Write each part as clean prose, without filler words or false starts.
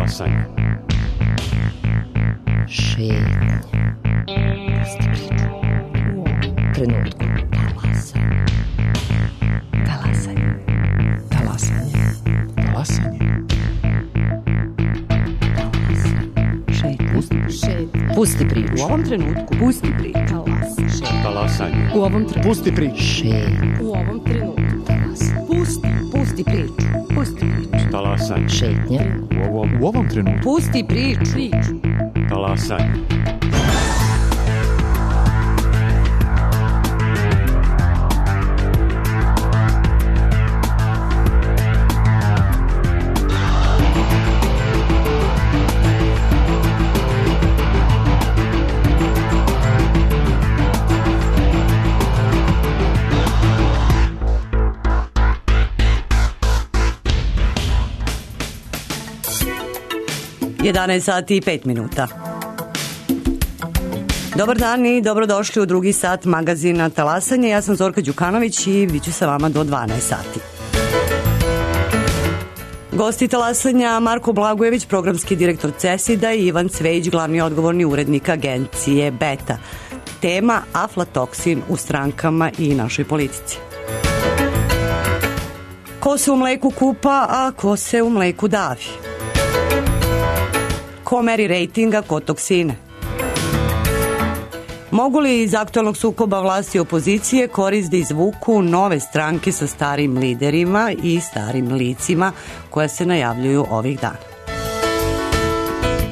Talasanje. Šetnja. Trenutku. Talasanje. Talasanje. Talasanje. Šetnja. Pusti priču. U ovom trenutku. Pusti priču. Talasanje. U ovom trenutku. Pusti priču. Šetnja. U ovom trenutku. Pusti priču. Pusti priču. Talasanje. Šetnja. U ovom trenutku. Pusti priču. Talasanje. Jedanaest sati i 5 minuta. Dobar dan i dobrodošli u drugi sat magazina Talasanje. Ja sam Zorka Đukanović i bit ću sa vama do 12 sati. Gosti Talasanja Marko Blagojević, programski direktor CESID-a i Ivan Cvejić, glavni odgovorni urednik agencije Beta. Tema aflatoksin u strankama i našoj politici. Ko se u mleku kupa, a ko se u mleku davi? Ko meri rejtinga, ko toksine? Mogu li iz aktualnog sukoba vlasti i opozicije korist da izvuku nove stranke sa starim liderima i starim licima koja se najavljuju ovih dana?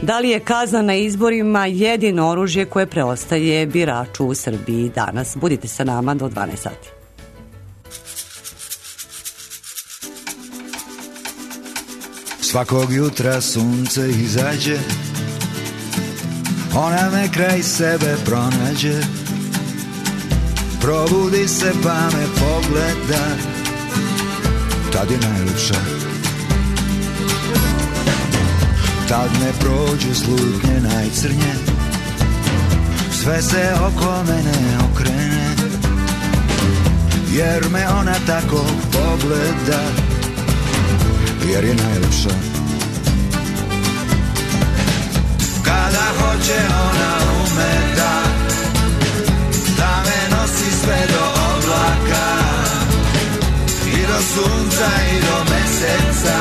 Da li je kazna na izborima jedino oružje koje preostaje biraču u Srbiji danas? Budite sa nama do 12 sati. Svakog jutra sunce izađe, ona me kraj sebe pronađe. Probudi se pa me pogleda, tad je najljepša. Tad ne prođu slutnje najcrnje, sve se oko mene okrene. Jer me ona tako pogleda, jer je najljepša. Kada hoće ona ume da me nosi sve do oblaka i do sunca i do meseca.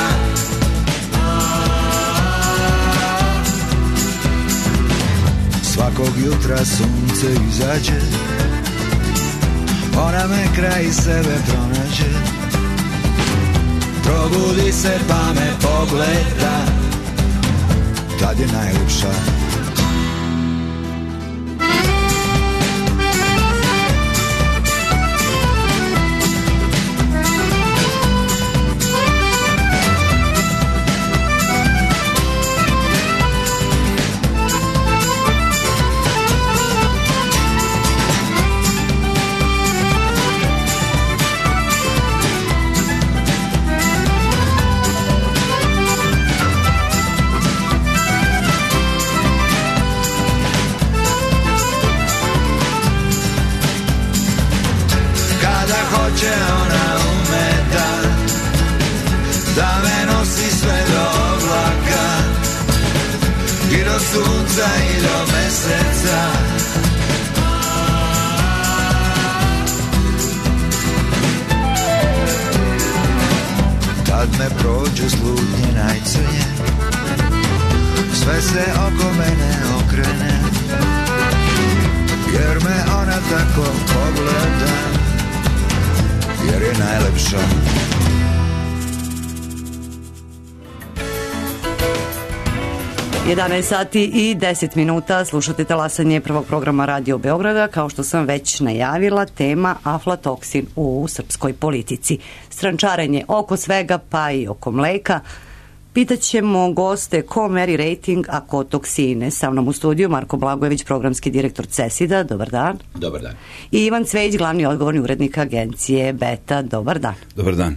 Svakog jutra sunce izađe, ona me kraj sebe pronađe. Probudi se pa me pogleda, tad je najljepša. Ona ume da me nosi sve do oblaka i do sunca i do meseca. Kad me prođu slutnje najcrnje, sve se oko mene okrene. Jer me ona tako pogleda, jer je najlepša. Jedanaest sati i 10 minuta, slušate Talasanje prvog programa Radio Beograda. Kao što sam već najavila, tema aflatoksin u srpskoj politici. Strančarenje oko svega, pa i oko mleka. Pitaćemo goste ko meri rejting, a ko toksine. Sa mnom u studiju Marko Blagojević, programski direktor CESID-a. Dobar dan. Dobar dan. I Ivan Cvejić, glavni odgovorni urednik agencije Beta. Dobar dan. Dobar dan.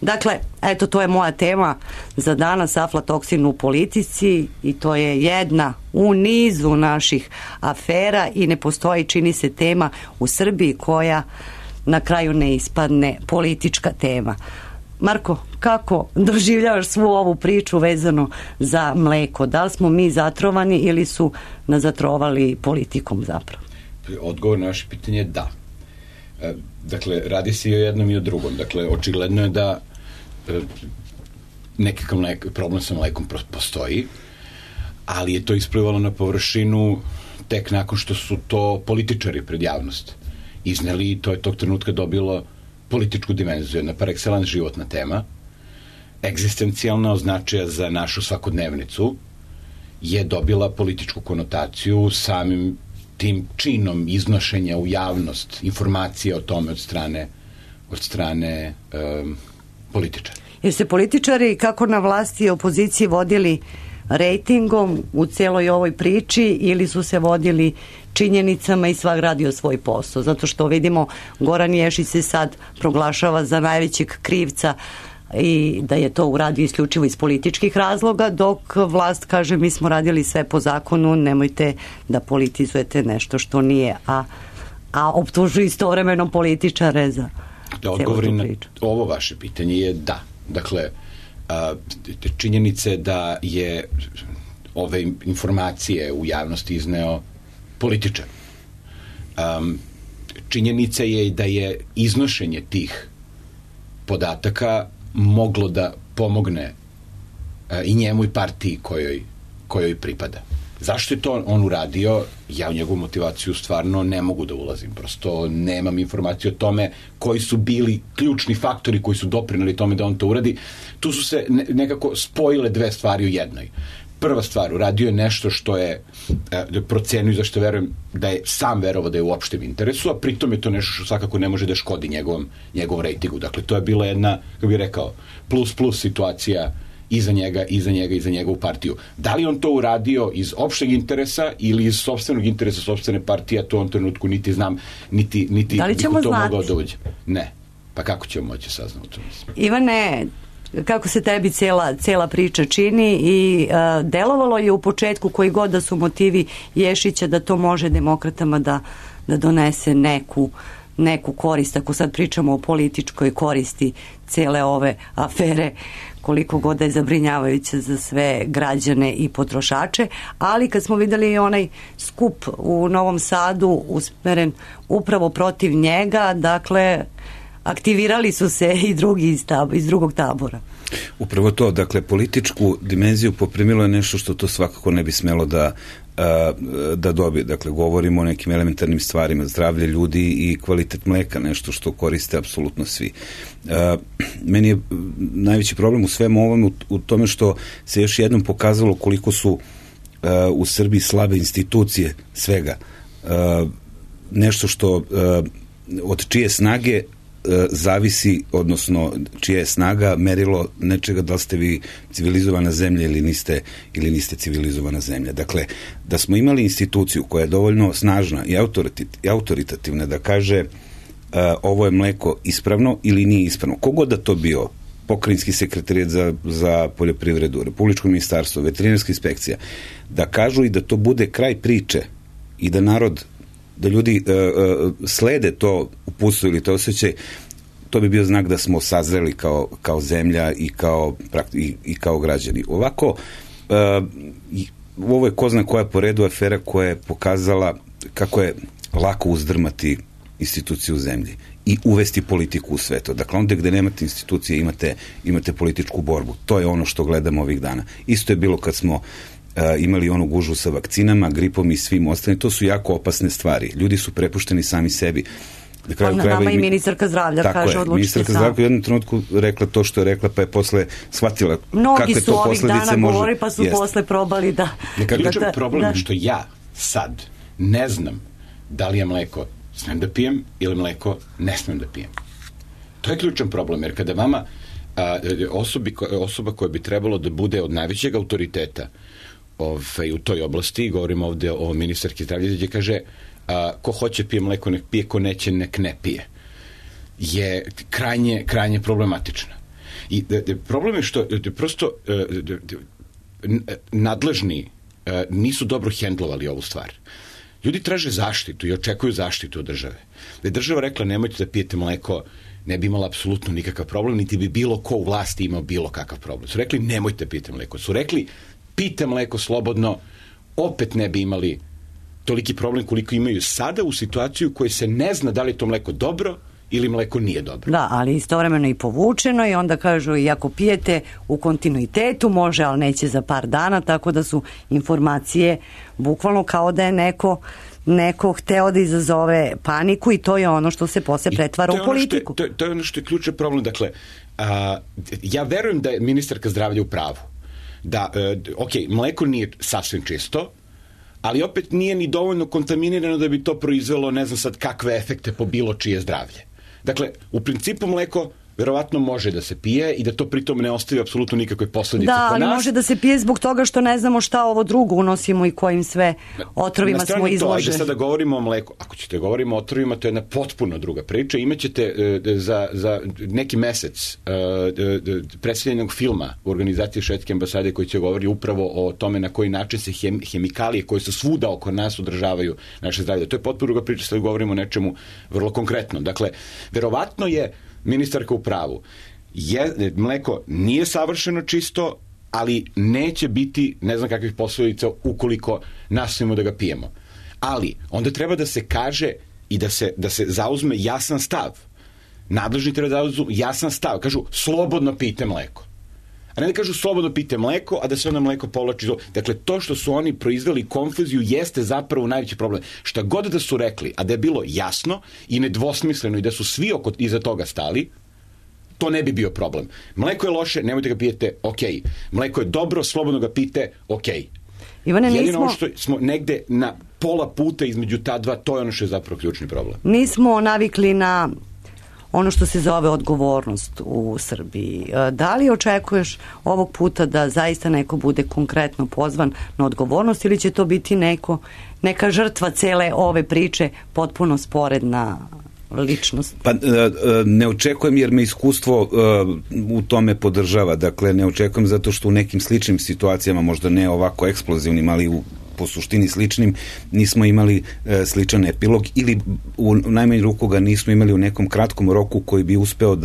Dakle, eto, to je moja tema za danas, aflatoksin u politici, i to je jedna u nizu naših afera i ne postoji, čini se, tema u Srbiji koja na kraju ne ispadne politička tema. Marko, kako doživljavaš svu ovu priču vezano za mleko? Da li smo mi zatrovani ili su nas zatrovali politikom zapravo? Odgovor na vaše pitanje je da. Dakle, radi se i o jednom i o drugom. Dakle, očigledno je da nekakav problem sa mlekom postoji, ali je to isplivalo na površinu tek nakon što su to političari pred javnost izneli i to je tog trenutka dobilo političku dimenziju, jedna par excellence životna tema, egzistencijalna, označaja za našu svakodnevnicu, je dobila političku konotaciju samim tim činom iznošenja u javnost informacije o tome od strane političara. Jer se političari kako na vlasti i opoziciji vodili rejtingom u celoj ovoj priči ili su se vodili činjenicama i svak radio svoj posao? Zato što vidimo Goran Ješić se sad proglašava za najvećeg krivca i da je to uradio isključivo iz političkih razloga, dok vlast kaže mi smo radili sve po zakonu, nemojte da politizujete nešto što nije, a optužuju istovremeno političare za da odgovorim na ovo vaše pitanje je da. Dakle, činjenice da je ove informacije u javnosti izneo političar. Činjenica je da je iznošenje tih podataka moglo da pomogne i njemu i partiji kojoj pripada. Zašto je to on uradio? Ja u njegovu motivaciju stvarno ne mogu da ulazim. Prosto nemam informaciju o tome koji su bili ključni faktori koji su doprinali tome da on to uradi. Tu su se nekako spojile dve stvari u jednoj. Prva stvar, uradio je nešto što je procenio, zašto verujem da je sam verovao da je u opštem interesu, a pritom je to nešto što svakako ne može da škodi njegovom rejtingu. Dakle, to je bila jedna, kako bih rekao, plus situacija i za njega i za njegovu partiju. Da li on to uradio iz opšteg interesa ili iz sopstvenog interesa sopstvene partije, to u ovom trenutku niti znam, niti da li ćemo to mogao da uđe. Ne. Pa kako ćemo moći saznati to? Ivane, kako se tebi cela priča čini i delovalo je u početku koji god da su motivi Ješića da to može demokratama da donese neku korist, ako sad pričamo o političkoj koristi cele ove afere, koliko god da je zabrinjavajuće za sve građane i potrošače, ali kad smo videli onaj skup u Novom Sadu usmeren upravo protiv njega, dakle aktivirali su se i drugi iz drugog tabora. Upravo to, dakle, političku dimenziju poprimilo je nešto što to svakako ne bi smelo da dobije. Dakle, govorimo o nekim elementarnim stvarima, zdravlje ljudi i kvalitet mleka, nešto što koriste apsolutno svi. Meni je najveći problem u svemu ovom u tome što se još jednom pokazalo koliko su u Srbiji slabe institucije svega. Nešto što od čije snage zavisi, odnosno čija je snaga merilo nečega da li ste vi civilizovana zemlja ili niste civilizovana zemlja. Dakle, da smo imali instituciju koja je dovoljno snažna i autoritativna da kaže ovo je mleko ispravno ili nije ispravno. Kogod da to bio, pokrajinski sekretarijat za poljoprivredu, Republičko ministarstvo, veterinarska inspekcija, da kažu i da to bude kraj priče i da narod, da ljudi slede to uputstvo ili to osjećaj, to bi bio znak da smo sazreli kao zemlja i kao građani. Ovako, ovo je ko zna koja po redu afera koja je pokazala kako je lako uzdrmati instituciju u zemlji i uvesti politiku u sve to. Dakle, onda gde nemate institucije imate političku borbu. To je ono što gledamo ovih dana. Isto je bilo kad smo imali onu gužvu sa vakcinama, gripom i svim ostalim. To su jako opasne stvari. Ljudi su prepušteni sami sebi. Nama i ministarka zdravlja kaže odlučite sam. Ministarka zdravlja u jednom trenutku rekla to što je rekla, pa je posle shvatila kakve to posledice može. Mnogi su ovih dana govori, pa su posle probali da... Ključan problem je što ja sad ne znam da li je mleko smem da pijem ili mleko ne smem da pijem. To je ključan problem, jer kada vama osoba koja bi trebalo da bude od najvećeg autoriteta u toj oblasti, govorim ovde o ministarki zdravlja, gdje kaže ko hoće pije mleko nek pije, ko neće nek ne pije, je krajnje problematična. I problem je što prosto nadležni nisu dobro hendlovali ovu stvar. Ljudi traže zaštitu i očekuju zaštitu od države. Da je država rekla nemojte da pijete mleko ne bi imala apsolutno nikakav problem, niti bi bilo ko u vlasti imao bilo kakav problem. Su rekli, nemojte pijte mleko. Su rekli, pijte mleko slobodno, opet ne bi imali toliki problem koliko imaju sada u situaciju u kojoj se ne zna da li je to mleko dobro ili mleko nije dobro. Da, ali istovremeno i povučeno i onda kažu i ako pijete u kontinuitetu može, ali neće za par dana, tako da su informacije bukvalno kao da je neko hteo da izazove paniku i to je ono što se posle pretvara u politiku. To je ono što je ključan problem. Dakle, ja verujem da je ministarka zdravlja u pravu. Da, mleko nije sasvim čisto, ali opet nije ni dovoljno kontaminirano da bi to proizvelo ne znam sad kakve efekte po bilo čije zdravlje. Dakle, u principu mleko verovatno može da se pije i da to pritom ne ostavi apsolutno nikakve posledice po nas. Da, ali može da se pije zbog toga što ne znamo šta ovo drugo unosimo i kojim sve otrovima smo izloženi. Ajde sada govorimo o mleku. Ako ćete govorimo o otrovima, to je jedna potpuno druga priča. Imaćete za neki mesec predstavljenog filma u organizaciji Švedske ambasade koji će govori upravo o tome na koji način se hemikalije koje su svuda oko nas održavaju naše zdravlje. To je potpuno druga priča, sad govorimo o nečemu vrlo konkretno. Dakle, verovatno je ministarka u pravu. Mleko nije savršeno čisto, ali neće biti ne znam kakvih posledica ukoliko nastavimo da ga pijemo. Ali onda treba da se kaže i da se zauzme jasan stav. Nadležni treba da zauzme jasan stav. Kažu, slobodno pijte mleko. A ne da kažu slobodno pijte mleko, a da se onda mleko povlači. Dakle, to što su oni proizveli konfuziju jeste zapravo najveći problem. Šta god da su rekli, a da je bilo jasno i nedvosmisleno i da su svi iza toga stali, to ne bi bio problem. Mleko je loše, nemojte ga pijete, okej. Mleko je dobro, slobodno ga pijte, okej. Ivane, jedino ono što smo negde na pola puta između ta dva, to je ono što je zapravo ključni problem. Nismo navikli na ono što se zove odgovornost u Srbiji. Da li očekuješ ovog puta da zaista neko bude konkretno pozvan na odgovornost ili će to biti neka žrtva cele ove priče, potpuno sporedna ličnost? Pa ne očekujem jer me iskustvo u tome podržava. Dakle, ne očekujem zato što u nekim sličnim situacijama, možda ne ovako eksplozivnim, ali po suštini sličnim, nismo imali sličan epilog ili u najmanju ruku ga nismo imali u nekom kratkom roku koji bi uspeo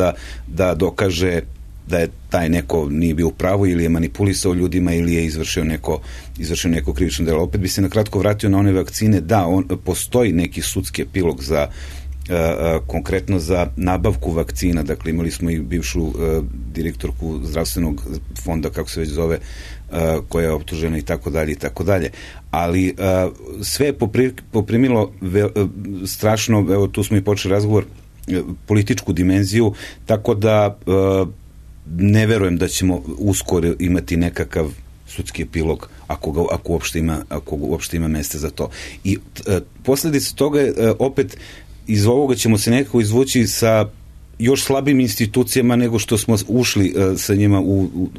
da dokaže da je taj neko nije bio u pravu ili je manipulisao ljudima ili je izvršio neko krivično delo. Opet bi se na kratko vratio na one vakcine. Da, postoji neki sudski epilog za konkretno za nabavku vakcina. Dakle, imali smo i bivšu direktorku zdravstvenog fonda, kako se već zove, koja je optužena i tako dalje. Ali sve je poprimilo strašno, evo tu smo i počeli razgovor, političku dimenziju, tako da ne verujem da ćemo uskoro imati nekakav sudski epilog ako uopšte ima mesta za to. I posljedica toga je opet iz ovoga ćemo se nekako izvući sa još slabim institucijama nego što smo ušli sa njima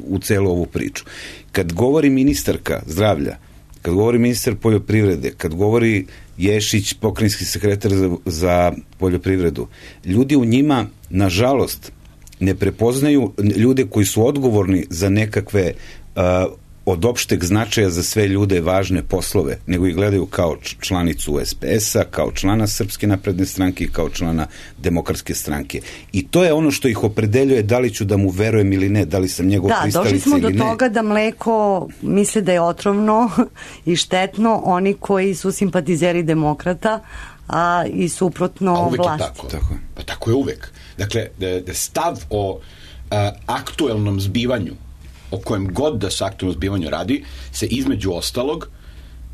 u celu ovu priču. Kad govori ministarka zdravlja, kad govori ministar poljoprivrede, kad govori Ješić, pokrajinski sekretar za poljoprivredu, ljudi u njima, nažalost, ne prepoznaju ljude koji su odgovorni za nekakve od opšteg značaja za sve ljude važne poslove, nego ih gledaju kao članicu SPS-a, kao člana Srpske napredne stranke i kao člana Demokratske stranke. I to je ono što ih opredeljuje da li ću da mu verujem ili ne, da li sam njegov pristalica ili ne. Da, došli smo do toga da mleko misle da je otrovno i štetno oni koji su simpatizeri demokrata, a i suprotno vlasti. Pa tako je uvek. Dakle, stav o aktuelnom zbivanju, o kojem god da se aktualno zbivanju radi, se između ostalog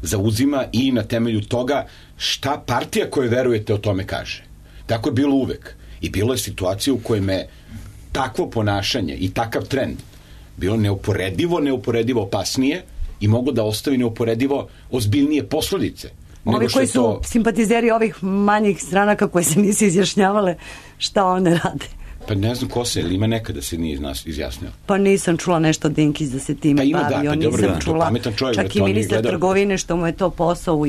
zauzima i na temelju toga šta partija koje verujete o tome kaže. Tako je bilo uvek. I bilo je situacija u kojima je takvo ponašanje i takav trend bilo neuporedivo opasnije i mogu da ostavi neuporedivo ozbiljnije posledice. Ovi koji su simpatizeri ovih manjih stranaka koje se nisu izjašnjavale, šta one rade? Pa ne znam ko se, ili ima nekada se nije izjasnio. Pa nisam čula nešto Dinkić da se time bavio, nisam čula čak i ministar trgovine što mu je to posao u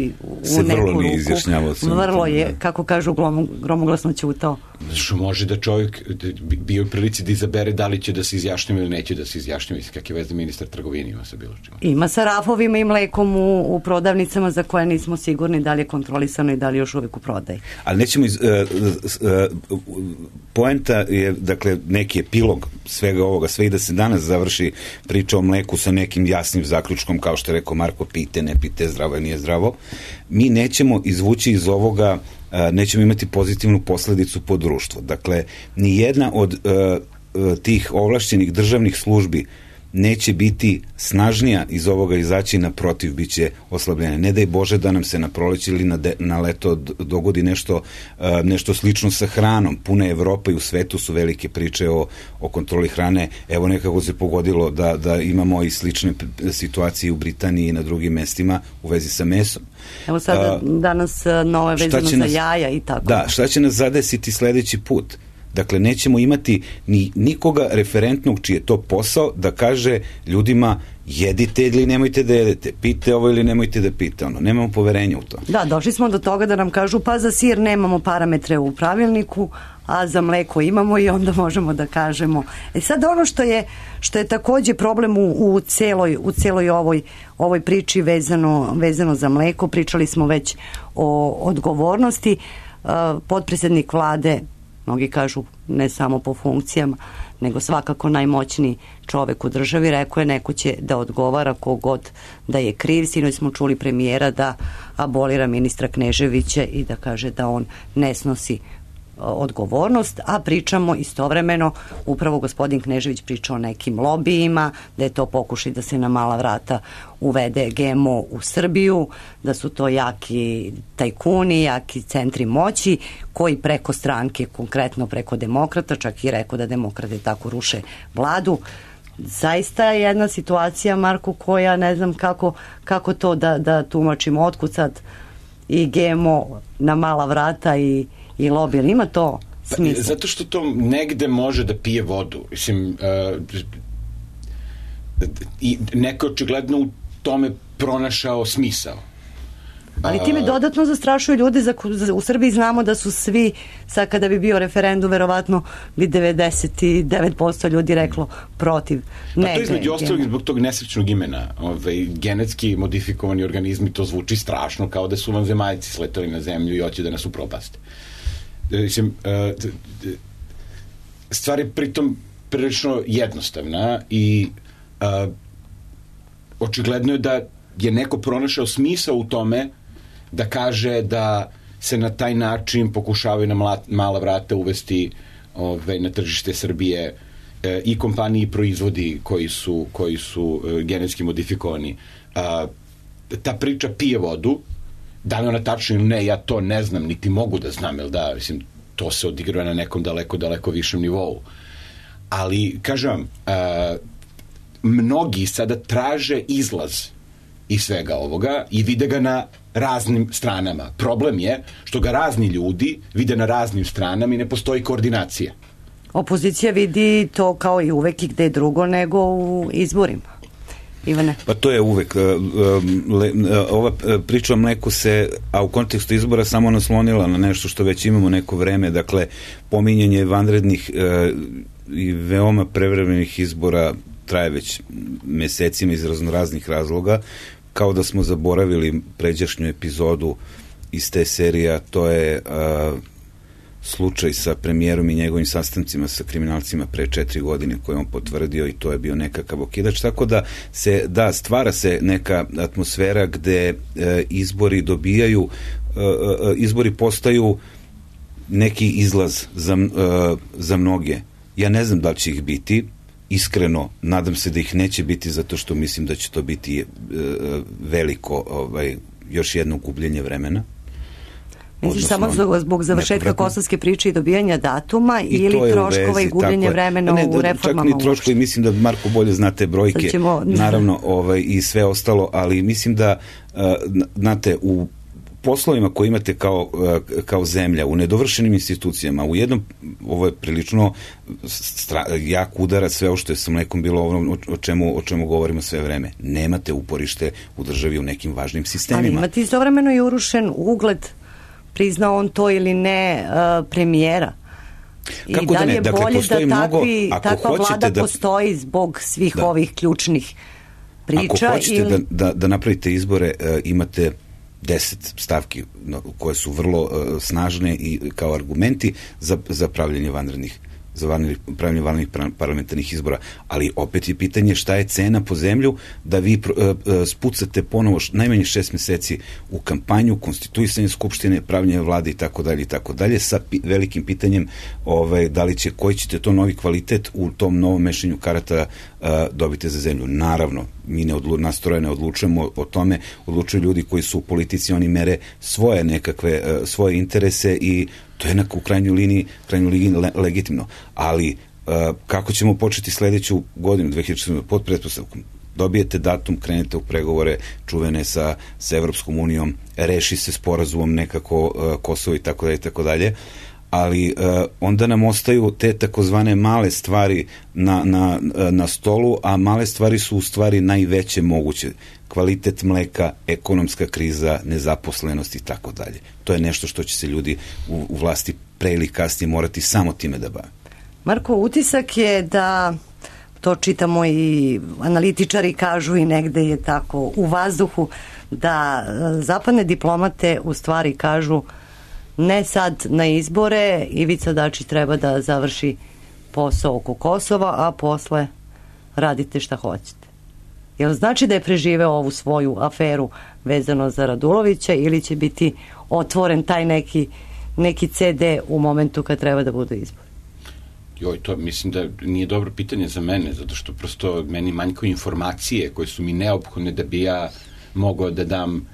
neku ruku. Vrlo je, kako kažu, gromoglasno ćutao. Što može da čovjek bio u prilici da izabere da li će da se izjašnjava ili neće da se izjašnjava. Kak je veze ministar trgovine ima sa bilo čima? Ima sa rafovima i mlekom u prodavnicama za koje nismo sigurni da li je kontrolisano i da li još uvijek u prodaji. Ali nećemo poenta je, dakle, neki epilog svega ovoga, sve i da se danas završi priča o mleku sa nekim jasnim zaključkom, kao što je rekao Marko, pijte, ne pijte, zdravo je, nije zdravo. Mi nećemo izvući iz ovoga, nećemo imati pozitivnu posledicu po društvo. Dakle, ni jedna od tih ovlašćenih državnih službi neće biti snažnija iz ovoga izaći, naprotiv, bit će oslabljene. Ne daj Bože da nam se na proleće ili na leto dogodi nešto slično sa hranom. Puna Evropa i u svetu su velike priče o kontroli hrane. Evo, nekako se pogodilo da imamo i slične situacije u Britaniji i na drugim mestima u vezi sa mesom. Evo sada danas nove vezano za jaja i tako. Da, šta će nas zadesiti sledeći put? Dakle, nećemo imati ni nikoga referentnog čiji je to posao da kaže ljudima jedite ili nemojte da jedete, pite ovo ili nemojte da pite ono. Nemamo poverenja u to. Da, došli smo do toga da nam kažu pa za sir nemamo parametre u pravilniku, a za mleko imamo i onda možemo da kažemo. Sad ono što je takođe problem u celoj ovoj priči vezano za mleko, pričali smo već o odgovornosti. Potpredsednik vlade, mnogi kažu ne samo po funkcijama, nego svakako najmoćniji čovek u državi, rekao je neko će da odgovara kogod da je kriv. Sinoć smo čuli premijera da abolira ministra Kneževića i da kaže da on ne snosi odgovornost, a pričamo istovremeno, upravo gospodin Knežević priča o nekim lobijima, da je to pokušaj da se na mala vrata uvede GMO u Srbiju, da su to jaki tajkuni, jaki centri moći koji preko stranke, konkretno preko demokrata, čak i rekao da demokrate tako ruše vladu. Zaista je jedna situacija, Marko, koja ne znam kako to da tumačimo, otkud sad i GMO na mala vrata i lobby, ali ima to smisla? Zato što to negde može da pije vodu. Mislim, i neko očigledno u tome pronašao smisao. Ali time dodatno zastrašuju ljude. U Srbiji znamo da su svi, sad kada bi bio referendum, verovatno bi 99% ljudi reklo protiv. Pa to između ostalog zbog tog nesrećnog imena. Genetski modifikovani organizmi, to zvuči strašno, kao da su vanzemaljci sletali na zemlju i hoće da nas upropaste. Mislim, stvar je pritom prilično jednostavna i očigledno je da je neko pronašao smisao u tome da kaže da se na taj način pokušavaju na mala vrata uvesti na tržište Srbije i kompaniji i proizvodi koji su genetski modifikovani. Ta priča pije vodu. Da li ona tačno ili ne, ja to ne znam, niti mogu da znam, jel da, mislim, to se odigrava na nekom daleko višem nivou. Ali, kažem vam, mnogi sada traže izlaz iz svega ovoga i vide ga na raznim stranama. Problem je što ga razni ljudi vide na raznim stranama i ne postoji koordinacija. Opozicija vidi to kao i uvek i gde drugo nego u izborima. Ivane? Pa to je uvek. Ova priča o mleku se, a u kontekstu izbora, samo naslonila na nešto što već imamo neko vreme. Dakle, pominjanje vanrednih i veoma prevremenih izbora traje već mesecima iz raznoraznih razloga, kao da smo zaboravili pređašnju epizodu iz te serije, to je slučaj sa premijerom i njegovim sastancima sa kriminalcima pre 4 godine koje on potvrdio i to je bio nekakav okidač, tako da stvara se neka atmosfera gde izbori postaju neki izlaz za mnoge. Ja ne znam da li će ih biti, iskreno nadam se da ih neće biti zato što mislim da će to biti veliko još jedno gubljenje vremena. Misliš samo zbog završetka kosovske priče i dobijanja datuma ili troškova i gubljenje vremena u reformama? Čak ni troškovi, mislim da Marko bolje zna te brojke, naravno i sve ostalo, ali mislim da znate, u poslovima koje imate kao zemlja, u nedovršenim institucijama, u jednom, ovo je prilično jak udarac sve ovo što je sa mlekom bilo o čemu govorimo sve vreme. Nemate uporište u državi u nekim važnim sistemima. Ali imate istovremeno i urušen ugled, priznao on to ili ne, premijera. Kako I da li je dakle, bolje da takva vlada da postoji zbog svih ovih ključnih priča? Ako hoćete da napravite izbore, imate 10 stavki koje su vrlo snažne i kao argumenti za pravljenje vanrednih parlamentarnih izbora. Ali opet je pitanje šta je cena po zemlju da vi spucate ponovo najmanje 6 meseci u kampanju, konstituisanje skupštine, pravljenje vlade i tako dalje, sa velikim pitanjem koji ćete to novi kvalitet u tom novom mešanju karata dobiti za zemlju. Naravno, mi nas troje ne odlučujemo o tome, odlučuju ljudi koji su u politici, oni mere svoje interese i to je u krajnjoj liniji legitimno. Ali kako ćemo početi sledeću godinu, 2014. pod pretpostavkom? Dobijete datum, krenete u pregovore čuvene sa Evropskom unijom, reši se sporazumom nekako Kosovo i tako dalje, ali onda nam ostaju te takozvane male stvari na stolu, a male stvari su u stvari najveće moguće. Kvalitet mleka, ekonomska kriza, nezaposlenost i tako dalje. To je nešto što će se ljudi u vlasti pre ili kasnije morati samo time da bave. Marko, utisak je da, to čitamo i analitičari kažu i negde je tako u vazduhu, da zapadne diplomate u stvari kažu ne sad na izbore, Ivica Dačić treba da završi posao oko Kosova, a posle radite šta hoćete. Jel znači da je preživeo ovu svoju aferu vezano za Radulovića ili će biti otvoren taj neki CD u momentu kad treba da budu izbori? To mislim da nije dobro pitanje za mene, zato što prosto meni manjkaju informacije koje su mi neophodne da bi ja mogao da dam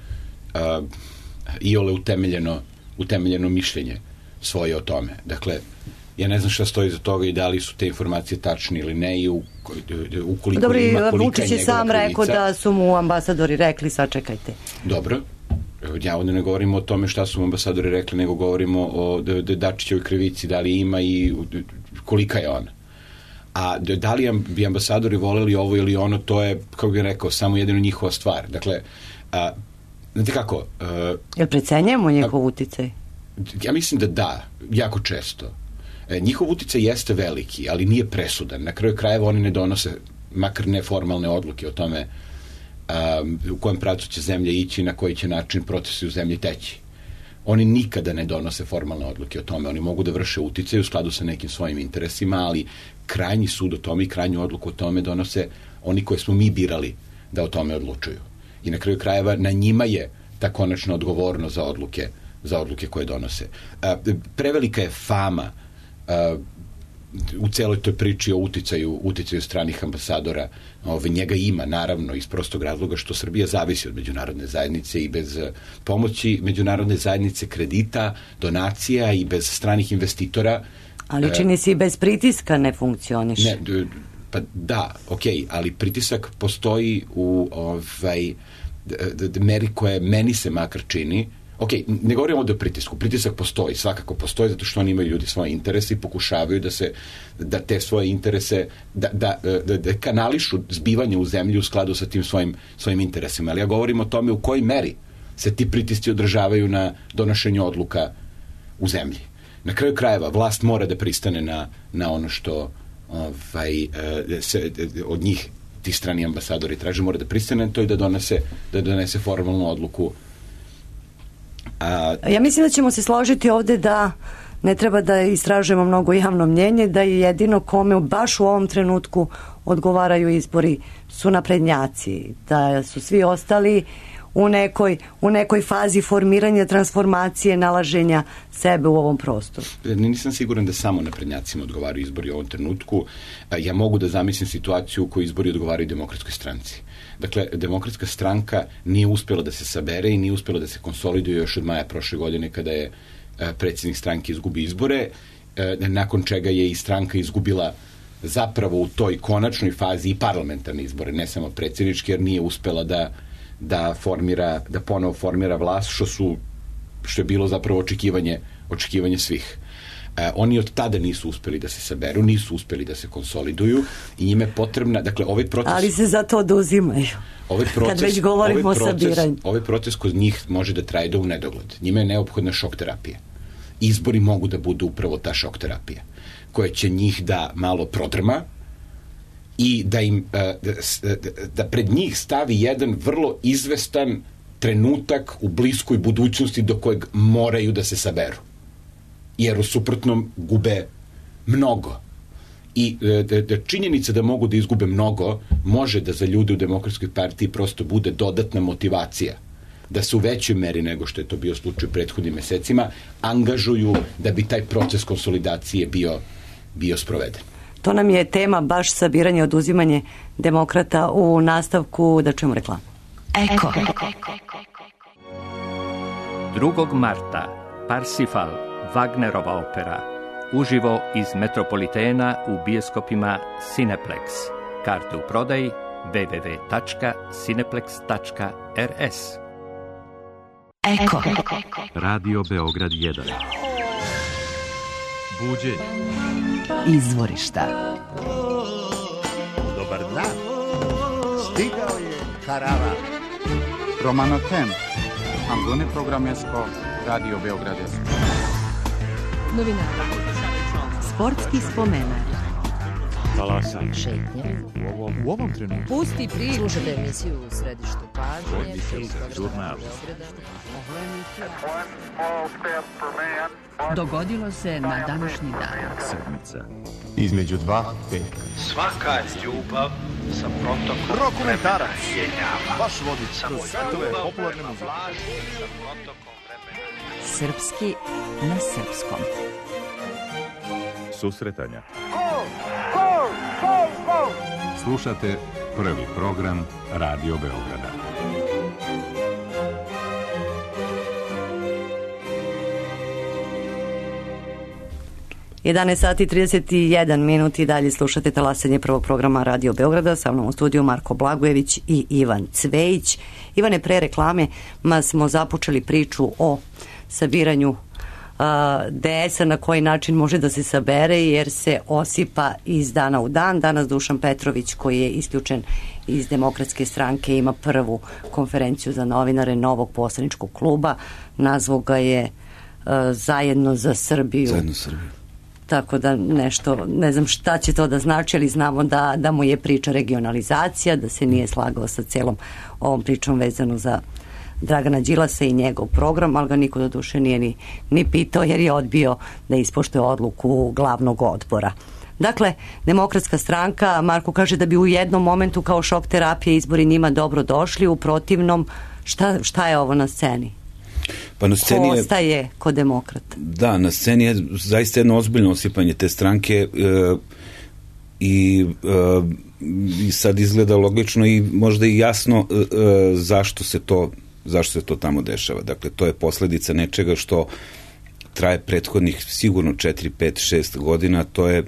iole utemeljeno mišljenje svoje o tome. Dakle, ja ne znam šta stoji za toga i da li su te informacije tačne ili ne i ukoliko dobro, ima kolika je njegova krivica. Vučić je sam rekao da su mu ambasadori rekli sačekajte. Dobro. Ja ovde ne govorimo o tome šta su mu ambasadori rekli, nego govorimo o Dačićevoj krivici, da li ima i kolika je ona. A da li bi ambasadori voleli ovo ili ono, to je, kako bih rekao, samo jedino njihova stvar. Dakle, znate kako? Jel precenjujemo njegov uticaj? Ja mislim da, jako često. Njihov uticaj jeste veliki, ali nije presudan. Na kraju krajeva oni ne donose, makar neformalne odluke o tome u kojem pravcu će zemlja ići i na koji će način procesi u zemlji teći. Oni nikada ne donose formalne odluke o tome. Oni mogu da vrše uticaj u skladu sa nekim svojim interesima, ali krajnji sud o tome i krajnju odluku o tome donose oni koje smo mi birali da o tome odlučuju. I na kraju krajeva na njima je ta konačna odgovornost za odluke koje donose. Prevelika je fama u celoj toj priči o uticaju stranih ambasadora. Njega ima, naravno, iz prostog razloga što Srbija zavisi od međunarodne zajednice i bez pomoći međunarodne zajednice, kredita, donacija i bez stranih investitora. Ali čini se i bez pritiska ne funkcioniše. Pa da, okej, ali pritisak postoji u meri koje meni se makar čini. Ne govorimo ovde o pritisku. Pritisak postoji, svakako postoji, zato što oni imaju ljudi svoje interese i pokušavaju da te svoje interese, da kanališu zbivanje u zemlji u skladu sa tim svojim interesima. Ali ja govorim o tome u kojoj meri se ti pritisci održavaju na donošenju odluka u zemlji. Na kraju krajeva, vlast mora da pristane na ono što se od njih ti strani ambasadori traže, mora da pristane na to i da donese formalnu odluku. Ja mislim da ćemo se složiti ovde da ne treba da istražujemo mnogo javno mnjenje, da je jedino kome baš u ovom trenutku odgovaraju izbori su naprednjaci, da su svi ostali u nekoj fazi formiranja, transformacije, nalaženja sebe u ovom prostoru. Nisam siguran da samo naprednjacima odgovaraju izbori u ovom trenutku. Ja mogu da zamislim situaciju u kojoj izbori odgovaraju Demokratskoj stranci. Dakle, Demokratska stranka nije uspjela da se sabere i nije uspjela da se konsoliduje još od maja prošle godine kada je predsjednik stranke izgubi izbore, nakon čega je i stranka izgubila zapravo u toj konačnoj fazi i parlamentarne izbore, ne samo predsjedničke, jer nije uspjela da ponovo formira vlast, što su što je bilo zapravo očekivanje svih. Oni od tada nisu uspeli da se saberu, nisu uspeli da se konsoliduju i njime je potrebna, dakle, ovaj proces... Ali se zato oduzimaju. Kad već govorimo o sabiranju. Ovaj proces kod njih može da traje do u nedogled. Njima je neophodna šok terapija. Izbori mogu da budu upravo ta šok terapija, koja će njih da malo prodrma i da im da pred njih stavi jedan vrlo izvestan trenutak u bliskoj budućnosti do kojeg moraju da se saberu. Jer u suprotnom gube mnogo. I činjenica da mogu da izgube mnogo može da za ljude u Demokratskoj partiji prosto bude dodatna motivacija da se u većoj meri nego što je to bio slučaj u prethodnim mesecima angažuju da bi taj proces konsolidacije bio sproveden. To nam je tema, baš sabiranje i oduzimanje demokrata. U nastavku da čujemo reklamu. Eko. 2. marta Parsifal, Wagnerova opera, uživo iz Metropolitena u bioskopima Cineplex. Karte u prodaji www.cineplex.rs. Eko. Radio Beograd 1. Buđenje. Izvorišta. Dobar dan. Stigao je karavan. Romano Temp, Ambune Programesko, Radio Beograd 1. Novinara. Sportski spomenar. Talasanje. Šetnje. U ovom trenutku. Pusti priču. Slušajte emisiju u središtu pažnje. Žurnal. Dogodilo se na današnji dan. Sedmica. Između 2 peka. Svaka ljubav sa protokom Dokumentarac. Baš vodi samo svetove popularne muzike. Srpski na srpskom. Susretanja. Slušate prvi program Radio Beograda. Jedanaest sati 31 minut i dalje slušate talasanje prvog programa Radio Beograda. Sa mnom u studiju Marko Blagojević i Ivan Cvejić. Ivane, pre reklame smo započeli priču o sabiranju DS-a, na koji način može da se sabere, jer se osipa iz dana u dan. Danas Dušan Petrović, koji je isključen iz Demokratske stranke, ima prvu konferenciju za novinare novog poslaničkog kluba. Nazvao ga je Zajedno za Srbiju. Zajedno Srbiju. Tako da nešto, ne znam šta će to da znači, ali znamo da mu je priča regionalizacija, da se nije slagao sa celom ovom pričom vezano za Dragana Đilasa i njegov program, ali ga niko do duše nije ni pitao, jer je odbio da ispoštuje odluku glavnog odbora. Dakle, Demokratska stranka, Marko kaže da bi u jednom momentu kao šok terapije izbori njima dobro došli, u protivnom šta je ovo na sceni? Pa na sceni ko ostaje kod Demokrata? Da, na sceni je zaista jedno ozbiljno osipanje te stranke i sad izgleda logično i možda i jasno zašto se to tamo dešava. Dakle, to je posledica nečega što traje prethodnih sigurno 4, 5, 6 godina. To je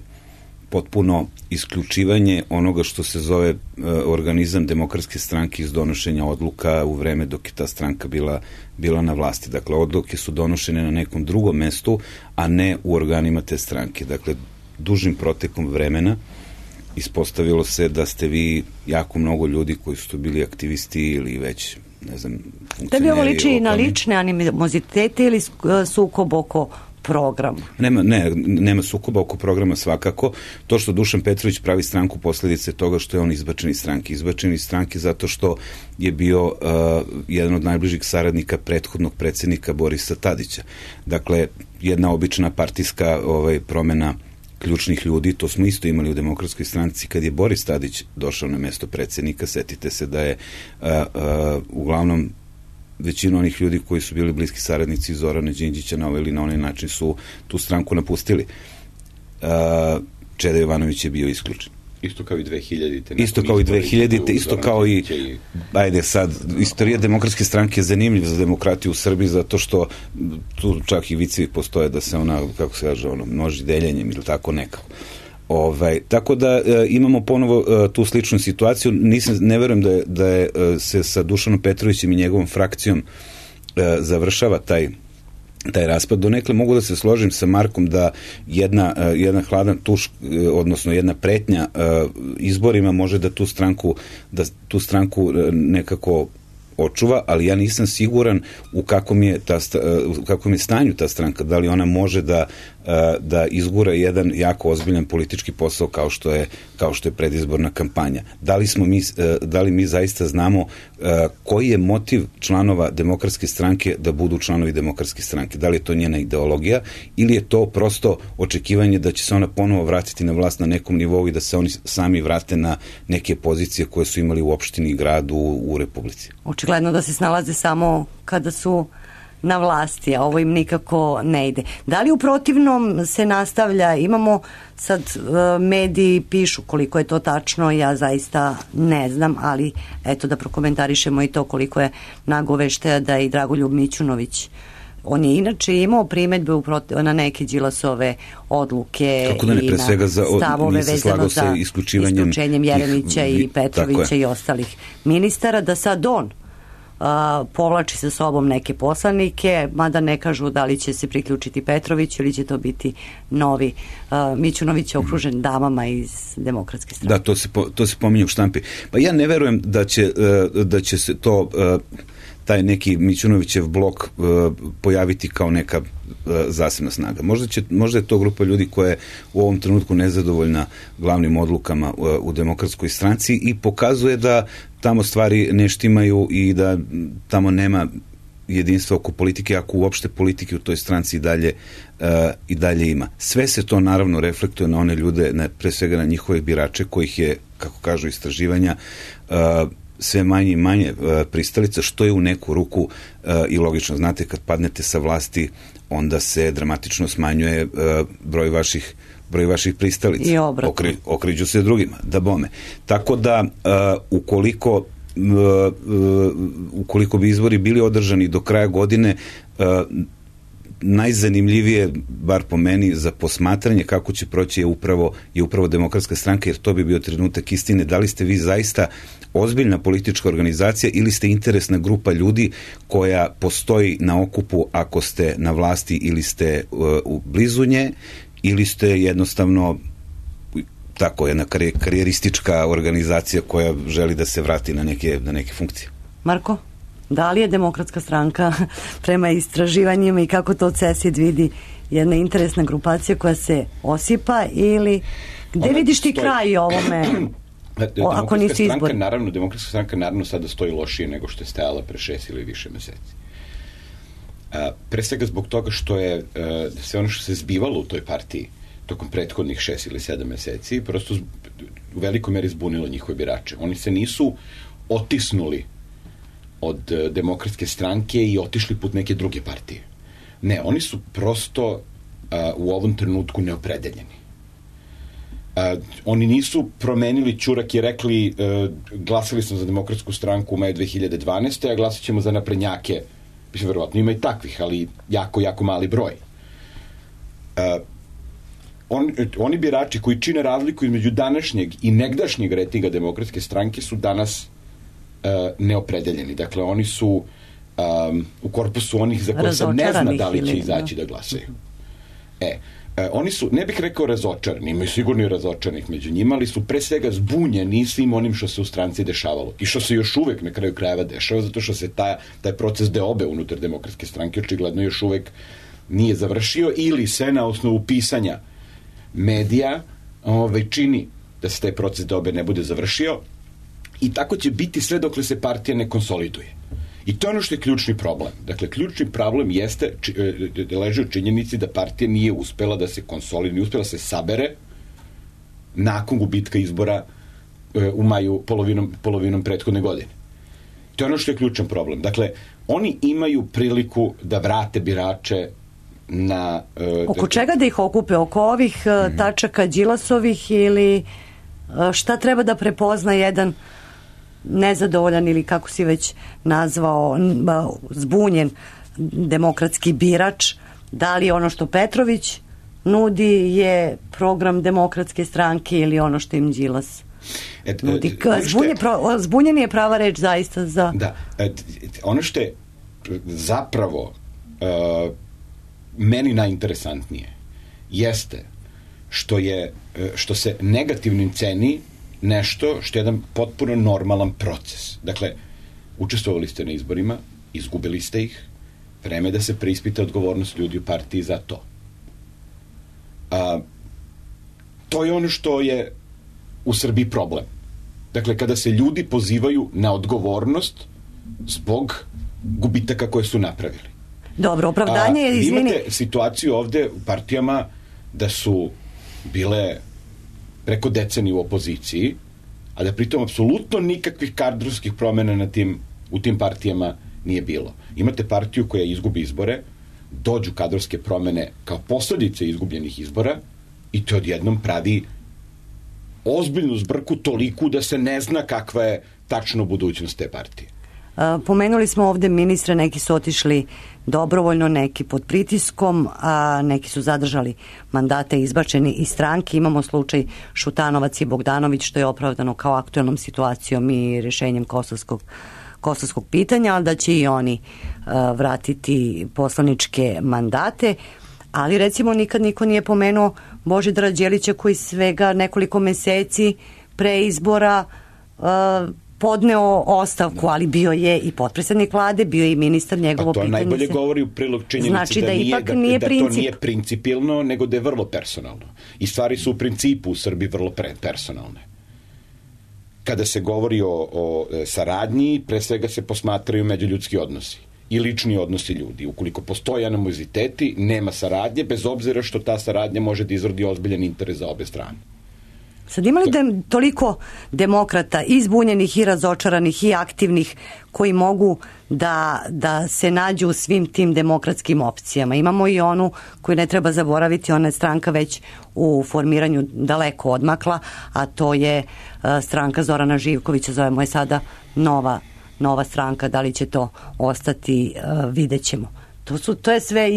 potpuno isključivanje onoga što se zove organizam Demokratske stranke iz donošenja odluka u vreme dok je ta stranka bila na vlasti. Dakle, odluke su donošene na nekom drugom mestu, a ne u organima te stranke. Dakle, dužim protekom vremena ispostavilo se da ste vi jako mnogo ljudi koji su bili aktivisti ili već, ne znam, funkcioneri. Da bi ovo liči na lične animozitete ili sukob oko programa? Nema sukoba oko programa svakako. To što Dušan Petrović pravi stranku posljedice toga što je on izbačen iz stranke. Izbačen iz stranke zato što je bio jedan od najbližih saradnika prethodnog predsjednika Borisa Tadića. Dakle, jedna obična partijska promena ključnih ljudi, to smo isto imali u Demokratskoj stranci kad je Boris Tadić došao na mesto predsjednika. Setite se da je uglavnom većinu onih ljudi koji su bili bliski saradnici Zorana Đinđića na ovaj ili na onaj način su tu stranku napustili. Čeda Jovanović je bio isključen. Isto kao i 2000-te. Isto kao i ajde sad, istorija Demokratske stranke je zanimljiva za demokratiju u Srbiji zato što tu čak i vicevi postoje da se ona, kako se kaže, množi deljenjem ili tako nekako. Tako da imamo ponovo tu sličnu situaciju. Ne verujem da je se sa Dušanom Petrovićem i njegovom frakcijom završava taj taj raspad. Donekle mogu da se složim sa Markom da jedan hladan tuš, odnosno jedna pretnja izborima može da tu stranku nekako očuva, ali ja nisam siguran u kakvom je stanju ta stranka, da li ona može da izgura jedan jako ozbiljan politički posao kao što je predizborna kampanja. Da li mi zaista znamo koji je motiv članova Demokratske stranke da budu članovi Demokratske stranke? Da li je to njena ideologija ili je to prosto očekivanje da će se ona ponovo vratiti na vlast na nekom nivou i da se oni sami vrate na neke pozicije koje su imali u opštini i gradu u Republici? Očigledno da se snalaze samo kada su na vlasti, a ovo im nikako ne ide. Da li u protivnom se nastavlja, imamo sad mediji pišu koliko je to tačno, ja zaista ne znam, ali eto da prokomentarišemo i to koliko je nagoveštaja da i Dragoljub Mićunović, on je inače imao primedbe na neke Đilasove odluke da ne, i na stavove vezano za isključenjem Jeremića i Petrovića i ostalih ministara, da sad on povlači sa sobom neke poslanike, mada ne kažu da li će se priključiti Petrović ili će to biti novi Mićunović okružen damama iz Demokratske stranke. Da, to se pominje u štampi. Pa ja ne verujem da će se to taj neki Mićunovićev blok pojaviti kao neka zasebna snaga. Možda je to grupa ljudi koja je u ovom trenutku nezadovoljna glavnim odlukama u Demokratskoj stranci i pokazuje da tamo stvari ne štimaju i da tamo nema jedinstva oko politike, ako uopšte politike u toj stranci i dalje ima. Sve se to naravno reflektuje na one ljude, pre svega na njihove birače, kojih je, kako kažu istraživanja, sve manje i manje pristalica, što je u neku ruku i logično. Znate, kad padnete sa vlasti, onda se dramatično smanjuje broj vaših pristalica. I obrat. Okriđu se drugima, da bome. Tako da, ukoliko bi izbori bili održani do kraja godine, najzanimljivije, bar po meni, za posmatranje kako će proći je upravo Demokratska stranka, jer to bi bio trenutak istine. Da li ste vi zaista ozbiljna politička organizacija ili ste interesna grupa ljudi koja postoji na okupu ako ste na vlasti ili ste blizu nje, ili ste jednostavno tako jedna karijeristička organizacija koja želi da se vrati na neke funkcije? Marko, da li je Demokratska stranka prema istraživanjima i kako to CESID vidi jedna interesna grupacija koja se osipa ili gde vidiš ti kraj ovome? Ako nisi izbor. Demokratska stranka naravno sada stoji lošije nego što je stajala pre 6 ili više meseci. Pre svega zbog toga što je sve ono što se zbivalo u toj partiji tokom prethodnih 6 ili 7 meseci prosto u velikoj meri zbunilo njihove birače. Oni se nisu otisnuli od Demokratske stranke i otišli put neke druge partije. Ne, oni su prosto u ovom trenutku neopredeljeni. Oni nisu promenili ćurak i rekli glasali smo za Demokratsku stranku u maju 2012. a glasat ćemo za naprednjake. Mislim, verovatno ima i takvih, ali jako, jako mali broj. Oni birači koji čine razliku između današnjeg i negdašnjeg rejtinga Demokratske stranke su danas neopredeljeni. Dakle, oni su u korpusu onih za koje se ne zna da li će izaći da glasaju. Oni su, ne bih rekao razočarani, imaju sigurno i razočaranih među njima, ali su pre svega zbunjeni svim onim što se u stranci dešavalo i što se još uvek na kraju krajeva dešava, zato što se taj proces deobe unutar Demokratske stranke očigledno još uvek nije završio ili se na osnovu pisanja medija čini da se taj proces deobe ne bude završio i tako će biti sve dokle se partija ne konsoliduje. I to je ono što je ključni problem. Dakle, ključni problem leži u činjenici da partija nije uspela da se konsoliduje, nije uspela da se sabere nakon gubitka izbora u maju polovinom prethodne godine. To je ono što je ključan problem. Dakle, oni imaju priliku da vrate birače na... Oko čega da ih okupe? Oko ovih tačaka Đilasovih ili šta treba da prepozna jedan nezadovoljan ili kako si već nazvao zbunjen demokratski birač? Da li ono što Petrović nudi je program Demokratske stranke ili ono što im Đilas nudi? Zbunjen je prava reč zaista za... Da, ono što je zapravo meni najinteresantnije jeste što se negativnim ceni nešto što je jedan potpuno normalan proces. Dakle, učestvovali ste na izborima, izgubili ste ih, vreme da se preispita odgovornost ljudi u partiji za to. To je ono što je u Srbiji problem. Dakle, kada se ljudi pozivaju na odgovornost zbog gubitaka koje su napravili. Dobro, opravdanje je, izvini... Imate situaciju ovde u partijama da su bile preko decenije u opoziciji, a da pritom apsolutno nikakvih kadrovskih promena u tim partijama nije bilo. Imate partiju koja izgubi izbore, dođu kadrovske promene kao posledice izgubljenih izbora i to odjednom pravi ozbiljnu zbrku toliku da se ne zna kakva je tačno budućnost te partije. Pomenuli smo ovde ministre, neki su otišli dobrovoljno, neki pod pritiskom, a neki su zadržali mandate izbačeni iz stranke. Imamo slučaj Šutanovac i Bogdanović, što je opravdano kao aktuelnom situacijom i rešenjem kosovskog pitanja, ali da će i oni vratiti poslaničke mandate. Ali recimo nikad niko nije pomenuo Božidara Đelića koji svega nekoliko meseci pre izbora podneo ostavku, ali bio je i potpredsednik vlade, bio je i ministar, njegovo pitanje. To najbolje govori u prilog činjenici znači da ipak nije to nije principijelno, nego da je vrlo personalno. I stvari su u principu u Srbiji vrlo personalne. Kada se govori o saradnji, pre svega se posmatraju međuljudski odnosi i lični odnosi ljudi. Ukoliko postoje animoziteti, nema saradnje, bez obzira što ta saradnja može da izrodi ozbiljan interes za obe strane. Sad ima li toliko demokrata, i zbunjenih, i razočaranih, i aktivnih, koji mogu da se nađu u svim tim demokratskim opcijama? Imamo i onu koju ne treba zaboraviti, ona je stranka već u formiranju daleko odmakla, a to je stranka Zorana Živkovića, zovemo je sada nova stranka. Da li će to ostati, vidjet ćemo. To je sve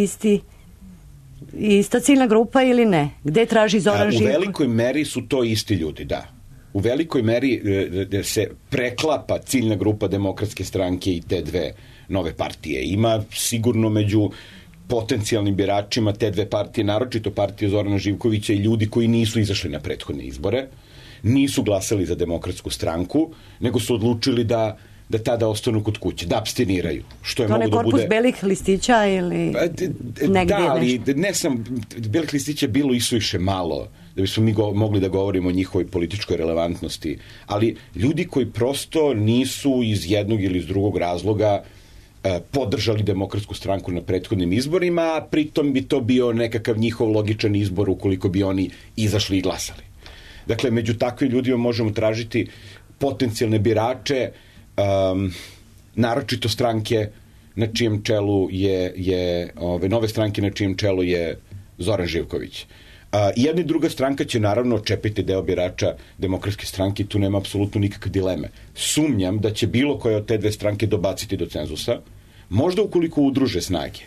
ista ciljna grupa ili ne? Gde traži Zoran Živković? U velikoj meri su to isti ljudi, da. U velikoj meri se preklapa ciljna grupa Demokratske stranke i te dve nove partije. Ima sigurno među potencijalnim biračima te dve partije, naročito partije Zorana Živkovića, i ljudi koji nisu izašli na prethodne izbore, nisu glasali za Demokratsku stranku, nego su odlučili da tada ostanu kod kuće, da apstiniraju. Što je to mogu ne da korpus bude... belih listića ili negdje? Da, ali belih listića bilo isuviše malo da bismo mi mogli da govorimo o njihovoj političkoj relevantnosti. Ali ljudi koji prosto nisu iz jednog ili iz drugog razloga podržali Demokratsku stranku na prethodnim izborima, a pritom bi to bio nekakav njihov logičan izbor ukoliko bi oni izašli i glasali. Dakle, među takvim ljudima možemo tražiti potencijalne birače, naročito stranke na čijem čelu je nove stranke na čijem čelu je Zoran Živković. Jedna i druga stranka će naravno očepiti deo birača Demokratske stranke, tu nema apsolutno nikakve dileme. Sumnjam da će bilo koja od te dve stranke dobaciti do cenzusa, možda ukoliko udruže snage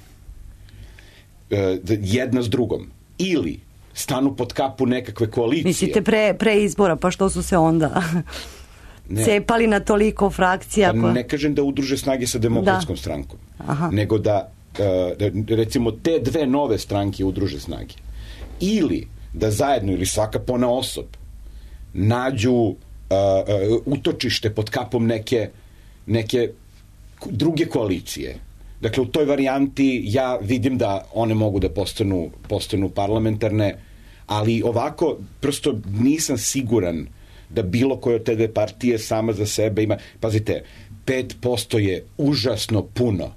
jedna s drugom, ili stanu pod kapu nekakve koalicije. Mislite pre izbora, pa što su se onda cepali na toliko frakcija? Pa ne kažem da udruže snage sa Demokratskom strankom, nego da recimo te dve nove stranke udruže snage. Ili da zajedno ili svaka ponaosob nađu utočište pod kapom neke druge koalicije. Dakle, u toj varijanti ja vidim da one mogu da postanu parlamentarne, ali ovako prosto nisam siguran da bilo koje od te dve partije sama za sebe ima... Pazite, 5% je užasno puno.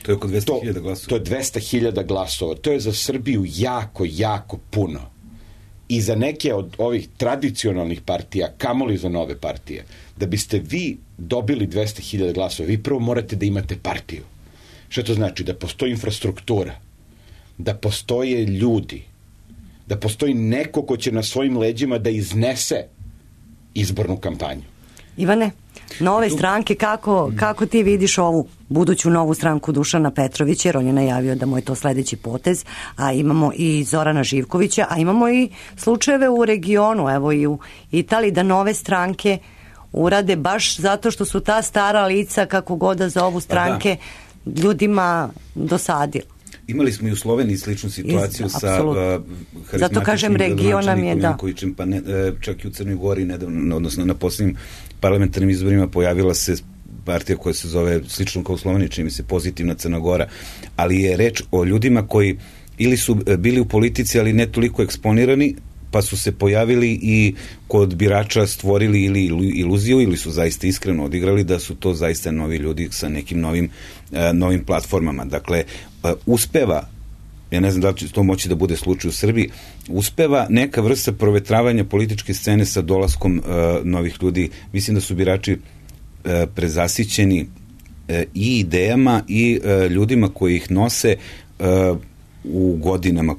To je oko 200.000 glasova. To je 200.000 glasova. To je za Srbiju jako, jako puno. I za neke od ovih tradicionalnih partija, kamoli za nove partije, da biste vi dobili 200.000 glasova, vi prvo morate da imate partiju. Što to znači? Da postoji infrastruktura, da postoje ljudi, da postoji neko ko će na svojim leđima da iznese izbornu kampanju. Ivane, nove stranke, kako ti vidiš ovu buduću novu stranku Dušana Petrovića, jer on je najavio da mu je to sledeći potez, a imamo i Zorana Živkovića, a imamo i slučajeve u regionu, evo i u Italiji, da nove stranke urade baš zato što su ta stara lica, kako god da za ovu stranke, ljudima dosadila. Imali smo i u Sloveniji sličnu situaciju sa harizmatičnim zato kažem, region nam je, da. Pa čak i u Crnoj Gori nedavno, odnosno na posljednjim parlamentarnim izborima pojavila se partija koja se zove slično kao u Sloveniji, čini mi se Pozitivna Crna Gora, ali je reč o ljudima koji ili su bili u politici, ali ne toliko eksponirani, pa su se pojavili i kod birača stvorili ili iluziju, ili su zaista iskreno odigrali da su to zaista novi ljudi sa nekim novim platformama. Dakle, uspeva, ja ne znam da li će to moći da bude slučaj u Srbiji, uspeva neka vrsta provetravanja političke scene sa dolaskom novih ljudi. Mislim da su birači prezasićeni i idejama i ljudima koji ih nose u godinama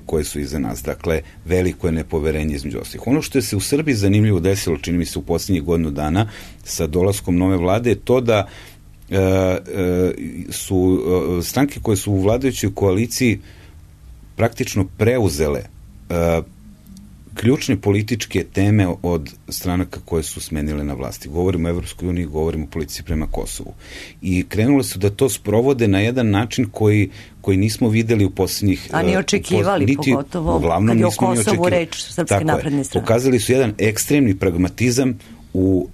koje su iza nas. Dakle, veliko je nepoverenje između ostalih. Ono što je se u Srbiji zanimljivo desilo, čini mi se u posljednjih godinu dana, sa dolaskom nove vlade, je to da su stranke koje su u vladajućoj koaliciji praktično preuzele ključne političke teme od stranaka koje su smenile na vlasti. Govorimo o Evropskoj uniji, govorimo o politici prema Kosovu. I krenule su da to sprovode na jedan način koji nismo videli u posljednjih... A ni očekivali, pogotovo kad je o Kosovu reč Srpske napredne strane. Pokazali su jedan ekstremni pragmatizam u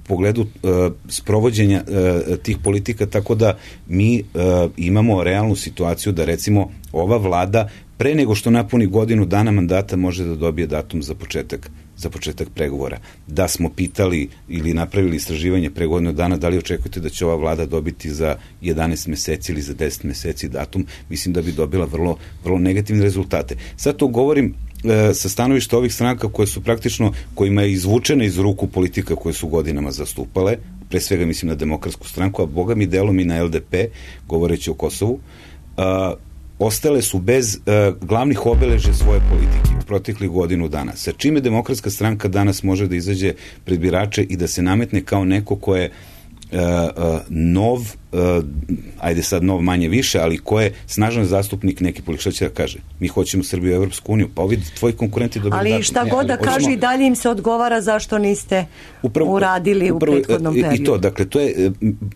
pogledu sprovođenja tih politika, tako da mi imamo realnu situaciju da, recimo, ova vlada pre nego što napuni godinu dana mandata može da dobije datum za početak pregovora. Da smo pitali ili napravili istraživanje pre godinu dana da li očekujete da će ova vlada dobiti za 11 meseci ili za 10 meseci datum, mislim da bi dobila vrlo, vrlo negativne rezultate. Sad to govorim sa stanovišta ovih stranaka koje su praktično, kojima je izvučena iz ruku politika koje su godinama zastupale, pre svega mislim na Demokratsku stranku, a boga mi delom i na LDP, govoreći o Kosovu, ostale su bez glavnih obeležja svoje politike u proteklih godinu dana. Sa čime Demokratska stranka danas može da izađe pred birače i da se nametne kao neko ko je nov, ajde sad nov manje više, ali ko je snažan zastupnik neki politik, šta će da kaže? Mi hoćemo Srbiju u Evropsku uniju, pa ovi tvoji konkurenti dobili datum. Ali šta god da kažu i dalje im se odgovara zašto niste uradili u prethodnom periodu. I to, dakle, to je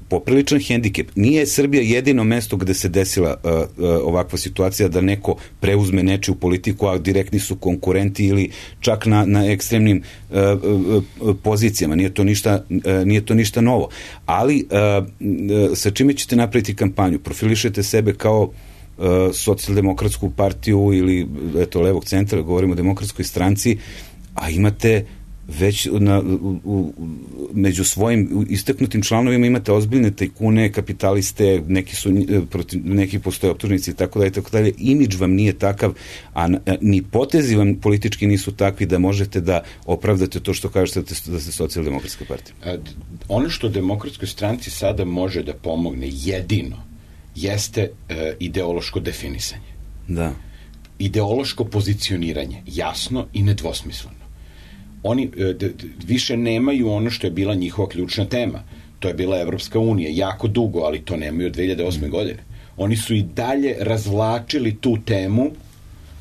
popriličan hendikep. Nije Srbija jedino mesto gde se desila ovakva situacija da neko preuzme nečiju politiku, a direktni su konkurenti ili čak na ekstremnim pozicijama. Nije to ništa novo. Ali sa čime ćete napraviti kampanju? Profilišete sebe kao socijaldemokratsku partiju ili levog centra, govorimo o Demokratskoj stranci, a imate već među svojim istaknutim članovima imate ozbiljne tajkune, kapitaliste, neki postoje optužnici i tako dalje. Imidž vam nije takav, a ni potezi vam politički nisu takvi da možete da opravdate to što kažete da ste socijaldemokratska partija. Ono što Demokratskoj stranci sada može da pomogne jedino jeste ideološko definisanje. Da. Ideološko pozicioniranje, jasno i nedvosmisleno. Oni više nemaju ono što je bila njihova ključna tema. To je bila Evropska unija, jako dugo, ali to nemaju od 2008. godine. Oni su i dalje razvlačili tu temu,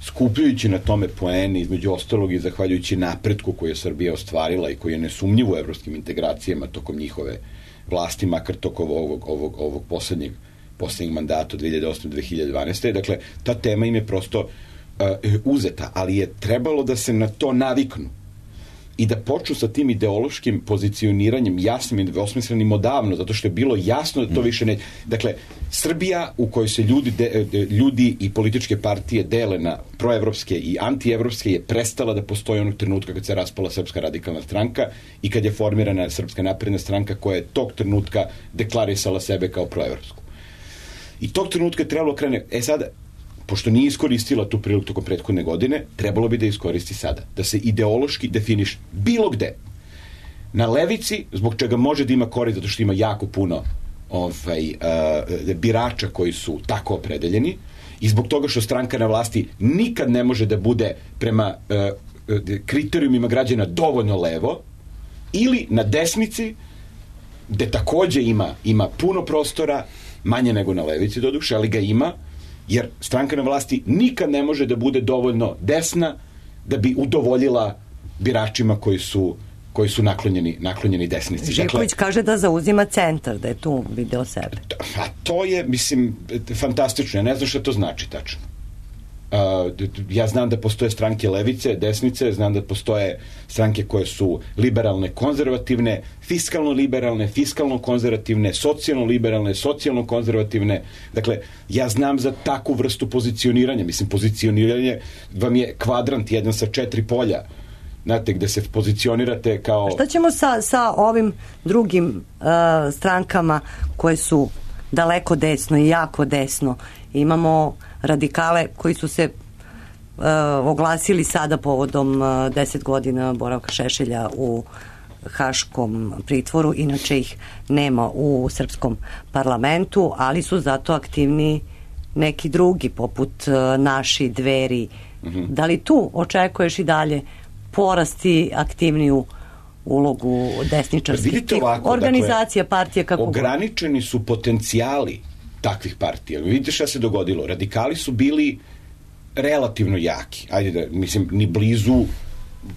skupljujući na tome poene, između ostalog i zahvaljujući napretku koju je Srbija ostvarila i koji je nesumnjivo u evropskim integracijama tokom njihove vlasti, makar tokom ovog poslednjeg mandata od 2008-2012. Dakle, ta tema im je prosto uzeta, ali je trebalo da se na to naviknu i da počnu sa tim ideološkim pozicioniranjem jasnim i nedvosmislenim odavno, zato što je bilo jasno da to više ne... Dakle, Srbija u kojoj se ljudi i političke partije dele na proevropske i antievropske je prestala da postoji onog trenutka kad se raspala Srpska radikalna stranka i kad je formirana Srpska napredna stranka koja je tog trenutka deklarisala sebe kao proevropsku. I tog trenutka je trebalo krene... Sada, pošto nije iskoristila tu priliku tokom prethodne godine, trebalo bi da iskoristi sada. Da se ideološki definiš bilo gde. Na levici, zbog čega može da ima korist, zato što ima jako puno birača koji su tako opredeljeni i zbog toga što stranka na vlasti nikad ne može da bude prema kriterijumima građana dovoljno levo, ili na desnici, gde takođe ima puno prostora, manje nego na levici doduše, ali ga ima, jer stranka na vlasti nikad ne može da bude dovoljno desna da bi udovoljila biračima koji su koji su naklonjeni desnici. Živković kaže da zauzima centar, da je tu video sebe. A to je, mislim, fantastično. Ja ne znam šta to znači tačno. Ja znam da postoje stranke levice, desnice, znam da postoje stranke koje su liberalne, konzervativne, fiskalno liberalne, fiskalno konzervativne, socijalno liberalne, socijalno konzervativne. Dakle, ja znam za takvu vrstu pozicioniranja. Mislim, pozicioniranje vam je kvadrant jedan sa 4 polja. Znate, gde se pozicionirate kao... Šta ćemo sa ovim drugim strankama koje su daleko desno i jako desno? Imamo radikale koji su se oglasili sada povodom 10 godina boravka Šešelja u haškom pritvoru, inače ih nema u srpskom parlamentu, ali su zato aktivni neki drugi, poput Naši, Dveri. Da li tu očekuješ i dalje porasti aktivniju ulogu desničarskih organizacija, dakle, partije? Kako ograničeni su potencijali takvih partija. Vidite šta se dogodilo. Radikali su bili relativno jaki. Ajde da, mislim,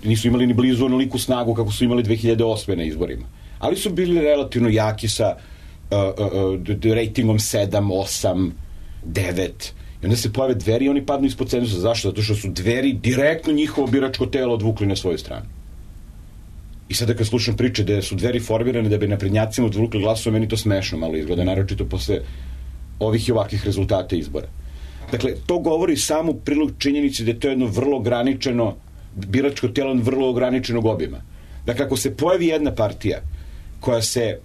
nisu imali ni blizu onoliku snagu kako su imali 2008. na izborima. Ali su bili relativno jaki sa ratingom 7, 8, 9. I onda se pojave Dveri i oni padnu ispod cenzusa. Zašto? Zato što su Dveri direktno njihovo biračko telo odvukli na svoju stranu. I sada kad slušam priče da su Dveri formirane da bi naprednjacima odvukli glasove, meni to smešno malo izgleda, naročito posle ovih i ovakvih rezultata izbora. Dakle, to govori samo u prilog činjenici da je to jedno vrlo ograničeno biračko telo vrlo ograničenog obima. Dakle, ako se pojavi jedna partija koja se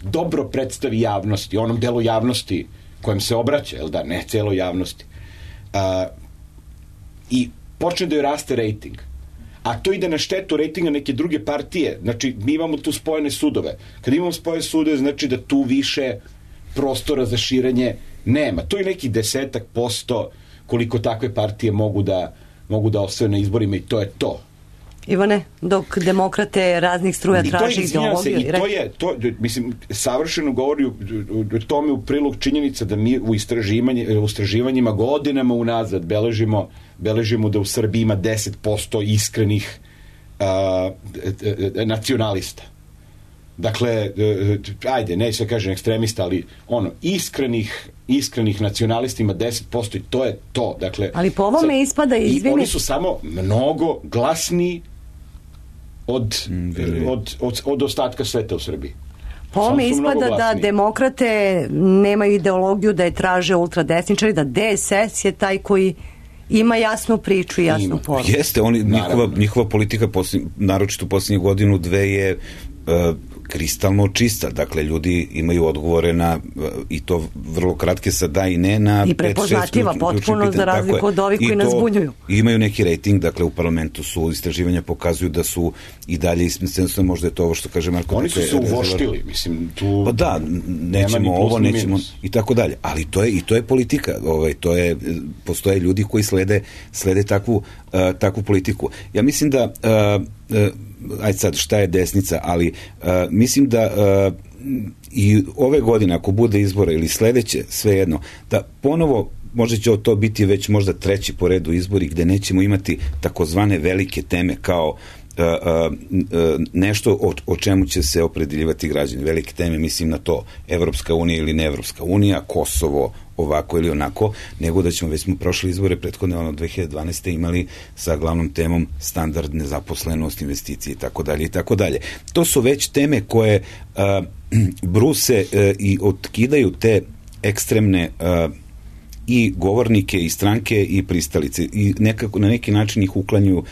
dobro predstavi javnosti, onom delu javnosti kojem se obraća, jel da, ne celo javnosti, i počne da joj raste rejting, a to ide na štetu rejtinga neke druge partije, znači mi imamo tu spojene sudove. Kad imamo spojene sudove, znači da tu više prostora za širenje nema. To je neki 10% koliko takve partije mogu da osvoje na izborima i to je to. Ivan, dok demokrate raznih struja traži ideologiju. I to je, mislim, savršeno govori o tome u prilog činjenica da mi u istraživanjima godinama unazad beležimo da u Srbiji ima 10% iskrenih nacionalista. Dakle, ajde, neće se kažem ekstremista, ali iskrenih nacionalista ima 10% i to je to. Dakle, ali po ovome ispada, izvini. I oni su samo mnogo glasniji od ostatka sveta u Srbiji. Po ovome ispada da demokrate nemaju ideologiju, da je traže ultradesničari, da DSS je taj koji ima jasnu priču i jasnu poruku. Jeste, njihova politika, naročito u posljednjih godinu, dve je kristalno čista. Dakle, ljudi imaju odgovore na, i to vrlo kratke sa da i ne na 5-6 i prepoznatljiva potpuno za razliku od ovih koji nas zbunjuju. Imaju neki rating, dakle u parlamentu su istraživanja pokazuju da su i dalje ismesteno, možda je to ovo što kaže Marko. Oni su se uvoštili, mislim, tu pa da, nećemo ovo, nećemo i tako dalje, ali to je politika, postoje ljudi koji slede takvu politiku. Ja mislim da ajde sad šta je desnica, ali mislim da i ove godine ako bude izbora ili sledeće, svejedno, da ponovo možda će to biti već možda treći po redu izbori gde nećemo imati takozvane velike teme kao nešto o čemu će se opredeljivati građani. Velike teme, mislim na to Evropska unija ili ne Evropska unija, Kosovo, ovako ili onako, nego da ćemo, već smo prošli izbore prethodne 2012. imali sa glavnom temom standard, nezaposlenost, investicije i tako dalje. To su već teme koje bruse i otkidaju te ekstremne i govornike i stranke i pristalice i nekako na neki način ih uklanjuju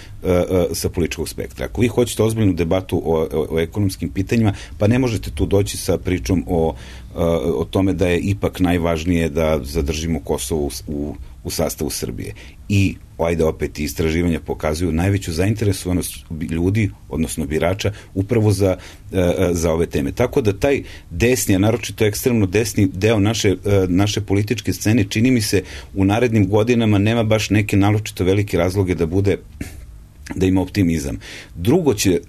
sa političkog spektra. Ako vi hoćete ozbiljnu debatu o ekonomskim pitanjima, pa ne možete tu doći sa pričom o tome da je ipak najvažnije da zadržimo Kosovo u sastavu Srbije. I ajde opet istraživanja pokazuju najveću zainteresovanost ljudi, odnosno birača, upravo za ove teme. Tako da taj desni, a naročito ekstremno desni deo naše političke scene, čini mi se u narednim godinama nema baš neke naročito velike razloge da ima optimizam. Drugo će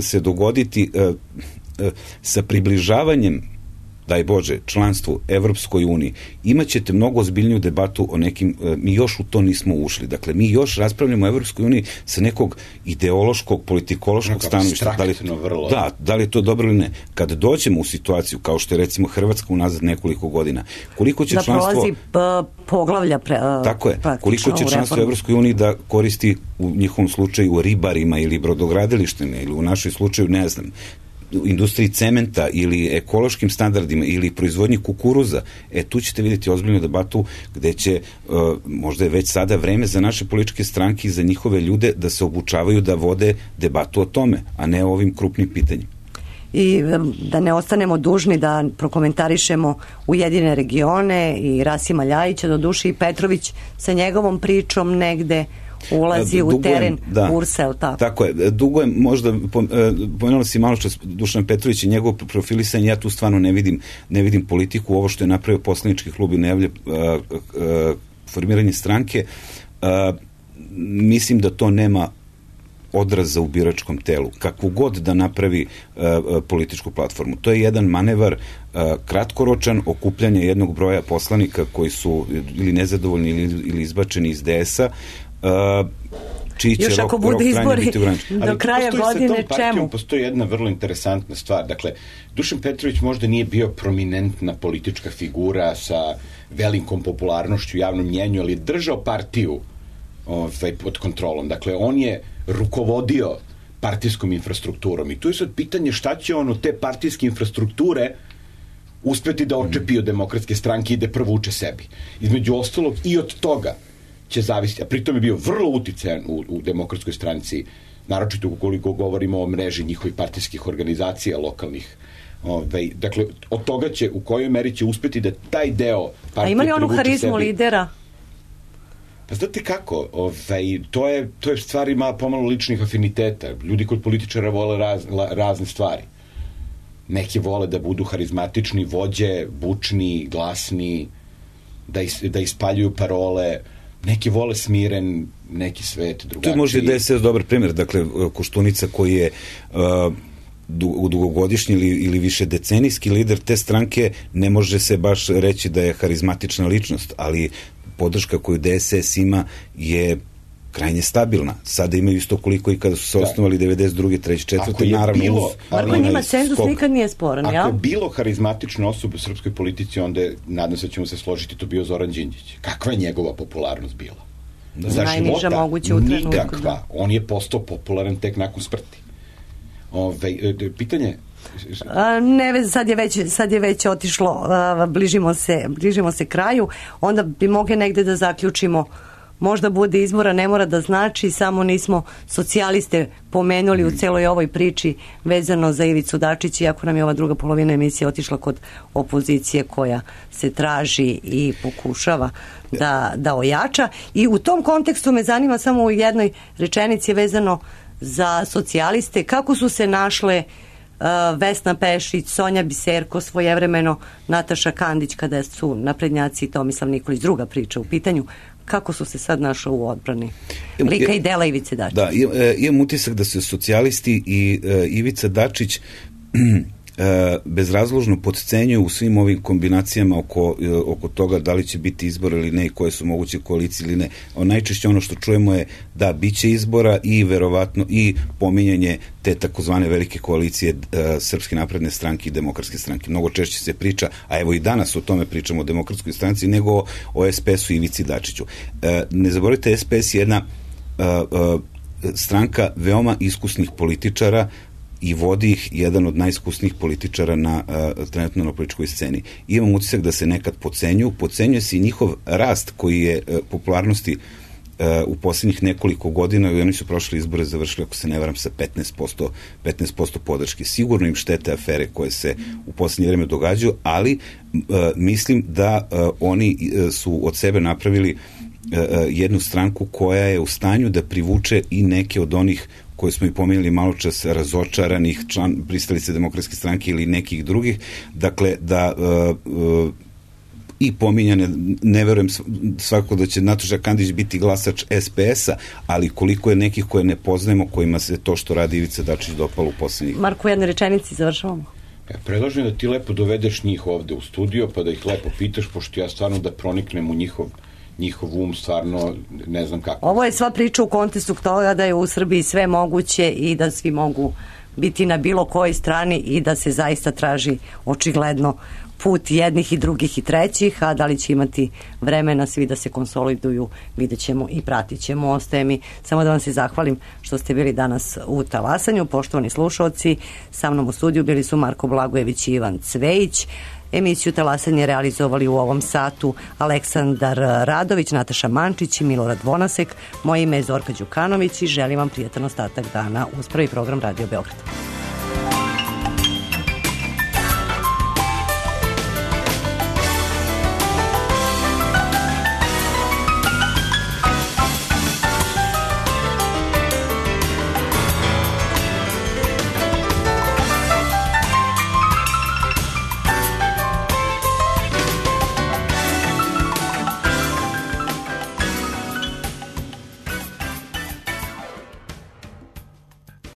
se dogoditi sa približavanjem, daj Bože, članstvu Evropskoj uniji, imaćete mnogo ozbiljniju debatu o nekim, mi još u to nismo ušli. Dakle, mi još raspravljamo o Evropskoj uniji sa nekog ideološkog, politikološkog stanovišta. Da li je to dobro ili ne. Kad dođemo u situaciju, kao što je recimo Hrvatska unazad nekoliko godina, koliko će članstvo... poglavlja tako je, koliko će članstvo u Evropskoj uniji da koristi u njihovom slučaju ribarima ili brodogradilištima ili u našoj slučaju, ne znam, u industriji cementa ili ekološkim standardima ili proizvodnji kukuruza, tu ćete vidjeti ozbiljnu debatu gde će, možda je već sada vreme za naše političke stranke i za njihove ljude da se obučavaju da vode debatu o tome, a ne o ovim krupnim pitanjima. I da ne ostanemo dužni da prokomentarišemo Ujedinjene regione i Rasima Ljajića, doduše i Petrović sa njegovom pričom negde ulazi u teren URS-a, je li tako? Tako je, dugo je možda, pomenula si malo čas Dušan Petrović i njegov profilisanje, ja tu stvarno ne vidim politiku, ovo što je napravio poslanički klub i najavlja formiranje stranke, mislim da to nema odraza u biračkom telu, kakvu god da napravi političku platformu. To je jedan manevar kratkoročan, okupljanje jednog broja poslanika koji su ili nezadovoljni ili izbačeni iz DS-a, još ako bude izbori do kraja godine, čemu? Postoji jedna vrlo interesantna stvar. Dakle, Dušan Petrović možda nije bio prominentna politička figura sa velikom popularnošću u javnom mnjenju, ali je držao partiju pod kontrolom. Dakle, on je rukovodio partijskom infrastrukturom i tu je sad pitanje šta će on od te partijske infrastrukture uspeti da očepi od Demokratske stranke i da provuče sebi. Između ostalog i od toga će zavisiti, a pritom je bio vrlo uticajan u Demokratskoj stranci, naročito ukoliko govorimo o mreži njihovih partijskih organizacija lokalnih. Dakle, od toga će, u kojoj meri će uspeti da taj deo partije privuče sebi. A ima li onu harizmu lidera? Pa znate kako, to je stvar ima pomalo ličnih afiniteta. Ljudi kod političara vole razne stvari. Neki vole da budu harizmatični, vođe, bučni, glasni, da ispaljuju parole. Neki vole smiren, neki svet drugačiji. Tu može da je DSS dobar primjer. Dakle, Koštunica koji je dugogodišnji ili više decenijski lider te stranke, ne može se baš reći da je harizmatična ličnost, ali podrška koju DSS ima je krajnje stabilna. Sada imaju isto koliko i kada su se osnovali 92. 3. 4. naravno uz... Marko, njima cenzus nikad nije sporan, ja? Ako je bilo harizmatične osobe u srpskoj politici, onda je, nadam se da ćemo se složiti, to bio Zoran Đinđić. Kakva je njegova popularnost bila? Za najniža moguće u trenutku. Nikakva. On je postao popularan tek nakon smrti. Pitanje... Ne, sad je već otišlo, bližimo se kraju, onda bi mogli negde da zaključimo, možda bude izbora, ne mora da znači, samo nismo socijaliste pomenuli u celoj ovoj priči vezano za Ivicu Dačića, iako nam je ova druga polovina emisije otišla kod opozicije koja se traži i pokušava da ojača. I u tom kontekstu me zanima samo u jednoj rečenici vezano za socijaliste, kako su se našle Vesna Pešić, Sonja Biserko, svojevremeno Nataša Kandić, kada su naprednjaci i Tomislav Nikolić, druga priča u pitanju, kako su se sad našli u odbrani lika i dela Ivice Dačić? Da, imam utisak da su socijalisti i Ivica Dačić bezrazložno podcenjuju u svim ovim kombinacijama oko toga da li će biti izbor ili ne i koje su moguće koalicije ili ne. Najčešće ono što čujemo je da biće izbora i verovatno i pominjanje te takozvane velike koalicije Srpske napredne stranke i Demokratske stranke. Mnogo češće se priča, a evo i danas o tome pričamo o Demokratskoj stranci, nego o SPS-u i Ivici Dačiću. Ne zaboravite, SPS je jedna stranka veoma iskusnih političara i vodi ih jedan od najiskusnijih političara trenutno na političkoj sceni. Imam utisak da se nekad podcenjuje se i njihov rast koji je popularnosti u posljednjih nekoliko godina i oni su prošli izbore završili, ako se ne varam, sa 15% podrške. Sigurno im štete afere koje se u posljednje vreme događaju, ali mislim da oni su od sebe napravili jednu stranku koja je u stanju da privuče i neke od onih koje smo i pomenuli malo čas, razočaranih pristalice Demokratske stranke ili nekih drugih. Dakle, da i pominjane, ne verujem svakako da će Nataša Kandić biti glasač SPS-a, ali koliko je nekih koje ne poznajemo, kojima se to što radi Ivica Dačić dopalo u posljednjih. Marko, u jednoj rečenici završavamo. Ja predlažem da ti lepo dovedeš njih ovde u studio, pa da ih lepo pitaš, pošto ja stvarno da proniknem u njihov um, stvarno ne znam kako. Ovo je sva priča u kontekstu toga da je u Srbiji sve moguće i da svi mogu biti na bilo kojoj strani i da se zaista traži očigledno put jednih i drugih i trećih, a da li će imati vremena svi da se konsoliduju, vidjet ćemo i pratit ćemo. Ostaje mi samo da vam se zahvalim što ste bili danas u Talasanju. Poštovani slušalci, sa mnom u studiju bili su Marko Blagojević i Ivan Cvejić. Emisiju Talasanje realizovali u ovom satu Aleksandar Radović, Nataša Mančić i Milorad Vonasek. Moje ime je Zorka Đukanović i želim vam prijatan ostatak dana uz prvi program Radio Beograd.